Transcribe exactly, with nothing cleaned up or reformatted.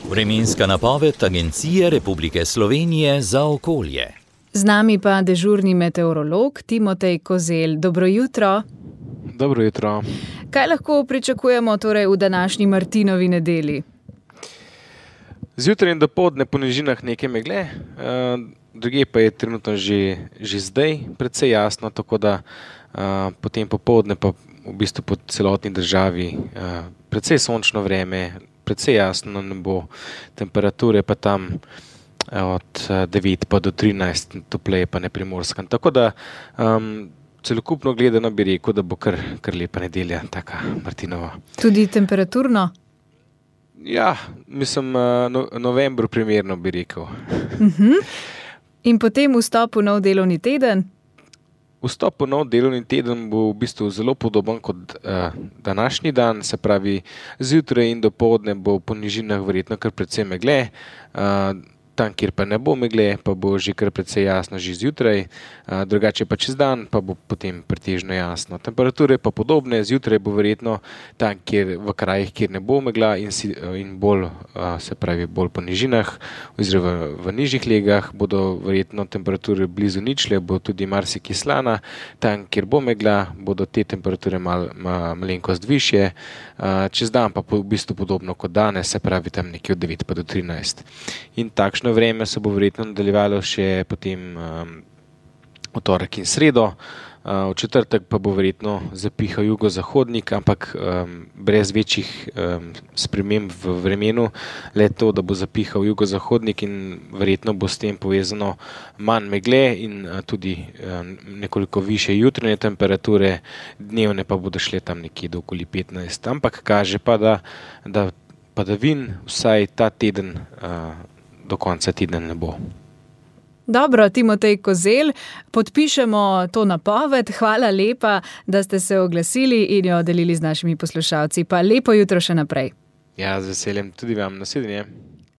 Vremenska napoved Agencije Republike Slovenije za okolje. Z nami pa dežurni meteorolog Timotej Kozelj. Dobro jutro. Dobro jutro. Kaj lahko pričakujemo torej v današnji Martinovi nedelji? Zjutraj in dopoldne po nižinah nekaj megle, drugje pa je trenutno že, že zdaj precej jasno, tako da potem popoldne pa v bistvu po celotni državi precej sončno vreme, precej jasno nebo, temperature pa tam od devet pa do trinajst, topleje pa na Primorskem. Tako da um, celokupno gledano bi rekel, da bo kar, kar lepa nedelja, taka Martinova. Tudi temperaturno? Ja, mislim, no, novembru primerno bi rekel. Uh-huh. In potem vstop v nov delovni teden? Vstop v nov delovni teden bo v bistvu zelo podoben kot uh, današnji dan, se pravi zjutraj in dopoldne bo po nižinah verjetno kar precej megle, uh, tam, kjer pa ne bo megle, pa bo že kar precej jasno že zjutraj, uh, drugače pa čez dan pa bo potem pretežno jasno. Temperature pa podobne, zjutraj bo verjetno tam, kjer v krajih, kjer ne bo megla in, si, in bolj, uh, se pravi bolj po nižinah oziroma v, v nižjih legah bodo verjetno temperature blizu ničle, bo tudi marsikaj slana, tam, kjer bo megla, bodo te temperature mal, mal, malenkost višje, uh, čez dan pa po, v bistvu podobno kot danes, se pravi tam nekje od devet pa do trinajst. In takšno vreme se bo verjetno nadaljevalo še potem um, v torek in sredo, uh, v četrtek pa bo verjetno zapihal jugozahodnik, ampak um, brez večjih um, sprememb v vremenu, le to, da bo zapihal jugozahodnik in verjetno bo s tem povezano manj megle in uh, tudi um, nekoliko više jutranje temperature, dnevne pa bodo šle tam nekje do okoli petnajst, ampak kaže pa, da, da padavin vsaj ta teden uh, do konca tedna ne bo. Dobro, Timotej Kozelj, podpišemo to napoved. Hvala lepa, da ste se oglasili in jo delili z našimi poslušalci. Pa lepo jutro še naprej. Ja, z veseljem tudi vam. Nasvidenje.